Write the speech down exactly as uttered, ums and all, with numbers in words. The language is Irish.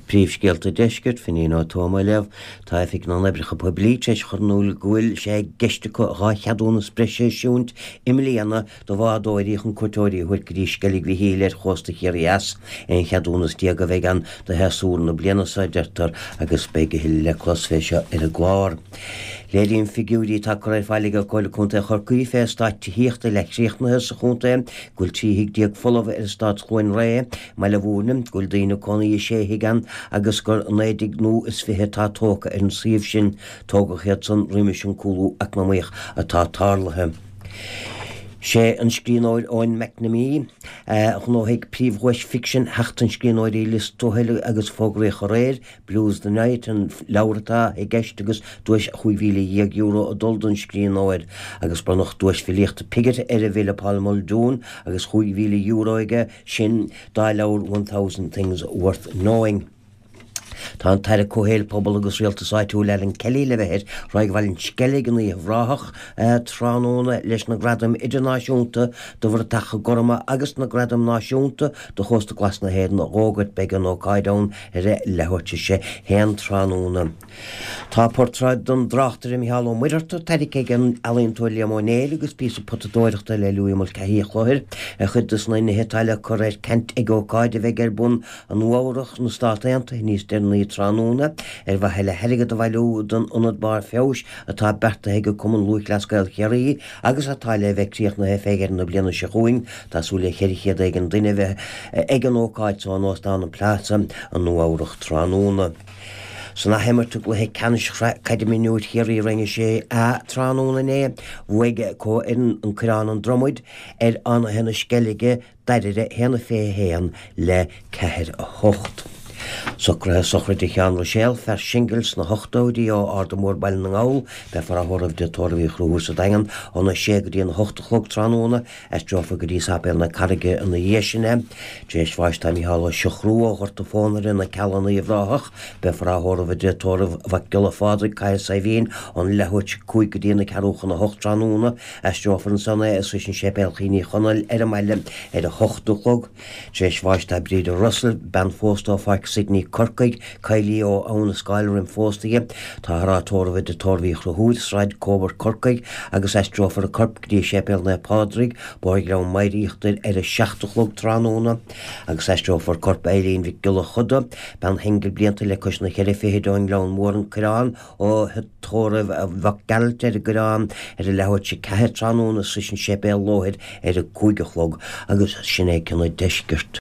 Príomhscéalta Deiscirt, Finín Ó Tuama á léamh. Tá Oifig na nOibreacha Poiblí tar éis a chur in iúl go bhfuil sé i gceist acu dhá cheadúnas breise a eisiúint i mbliana do bhádóirí chun cuairteoirí a thabhairt go dtí Sceilg Mhichíl ar chósta Chiarraí Theas. Aon cheadúnas déag a bheidh ann do shéasúr na bliana seo, a deirtear, agus beidh a thuilleadh le clos fé seo ar an gclár. Léiríonn figiúirí atá curtha ar fáil ag Comhairle Contae Chorcaí fé eastáit tithíochta leathchríochnaithe sa chontae go bhfuil trí thigh déag folamh ar eastát Chluain Ré i mBaile Mhúirne, go bhfuil daoine ag cónaí i sé thigh ann agus gur naoi dtigh nua is fiche atá tógtha ar an suíomh sin. Tógadh iad san roimis an cúlú eacnamaíoch atá tarlaithe. Sé an scríbhneoir Eoin McNamee a ghnóthaigh príomhdhuais ficsin Sheachtain Scríbhneoirí Lios Tuathail agus fógraíodh aréir Blues the Night an leabhar atá i gceist agus duais chúig mhíle dhéag euro ag dul don scríbhneoir agus bronnadh duais filíochta Piggott ar an bhfile Paul Muldoon agus chúig mhíle euro aige sin dá leabhar One Thousand Things Worth Knowing. Tá an tAire Comhshaoil, Pobal agus Rialtais Áitiúil Alan Kelly le bheith ar Thráigh Bhaile an Sceilg in Uíbh Ráthach tráthnóna leis na Gradaim Idirnáisiúnta do Bhratacha Gorma agus na Gradaim Náisiúnta do Chósta Glas na hÉireann a fhógairt. Beidh an ócáid ann ar a leathuair tar éis a haon tráthnóna. Tá portráid den dtráchtaire Micheál Ó Muircheartaigh tairgthe ag an ealaíontóir Liam Ó Néill agus píosa potadóireachta le Louis Mulcahy a Chlochair ar chuid de na nithe atá le cur ar ceant ag ócáid a bheidh ar bun i Nua-Eabhrac sna Stát Aontaithe níos deireanaí tráthnóna ar mhaithe le hairgead a bhailiú don Ionad Barr Feabhais atá beartaithe ag Cumann Lúthchleas Gael Chiarraí agus atá le bheith críochnaithe fé dheireadh na bliana seo chugainn. Tá súil le ceithre chéad éigin duine a bheith ag an ócáid so in Óstán an Plaza i Nua-Eabhrac tráthnóna. San athimirt i gcluiche ceannais Shraith Caide Mionúir Chiarraí Roinn a sé A tráthnóna inné, bhuaigh comhfhoireann An Coireán An Dromaid ar Fhánaithe na Sceilge Dairbhre a haon a fiche a haon le ceathair a hocht. Socruithe sochraide Sheáin Ruiséal, fear singil sna hochtóidí ó Arda Mór Baile na nGall, beifear á thórramh i dTigh Tórraimh Uí Chonchúir sa Daingean óna sé go dtí an hocht a chlog tráthnóna. Aistreofar go dtí Sáipéal na Carraige ina dhiaidh sin é. Tar éis bháis tá Micheál Ó Siochrú ó Ghort an Phónaire, Na Cealla in Uíbh Ráthach. Beifear á thórramh i dTigh Tórraimh Mhac Giolla Phádraig, Cathair Saidhbhín, ón leathuair tar éis a cúig go dtí na ceathrú chun a hocht tráthnóna. Aistreofar ansan é suas an Séipéal Chian Uí Chonaill ar an mbaile ar a hocht a chlog. Tar éis bháis tá Bríde Russell, bean phósta ó Pháirc Sydney, Corcaigh, Kylie ó Abhainn an Scáil roim phósta di. Táthar á tórramh i dTigh Tórraimh Uí Chonchúir, Sráid Coburg, Corcaigh, agus aistreofar a corp go dtí Séipéal Naomh Pádraig, Bóthar Ghleann Maghair Íochtair ar a seacht a chlog tráthnóna, agus aistreofar corp Eileen Mhic Giolla Chuda, bean shingil blianta le cois na ceithre fichid ón nGleann Mór, An Coireán, ó Thigh Tórraimh Mhac Gearailt ar an gCoireán ar a leathuair tar éis a ceathair tráthnóna suas an séipéal Lóthair ar a cúig a chlog agus sin é cionn an deiscirt.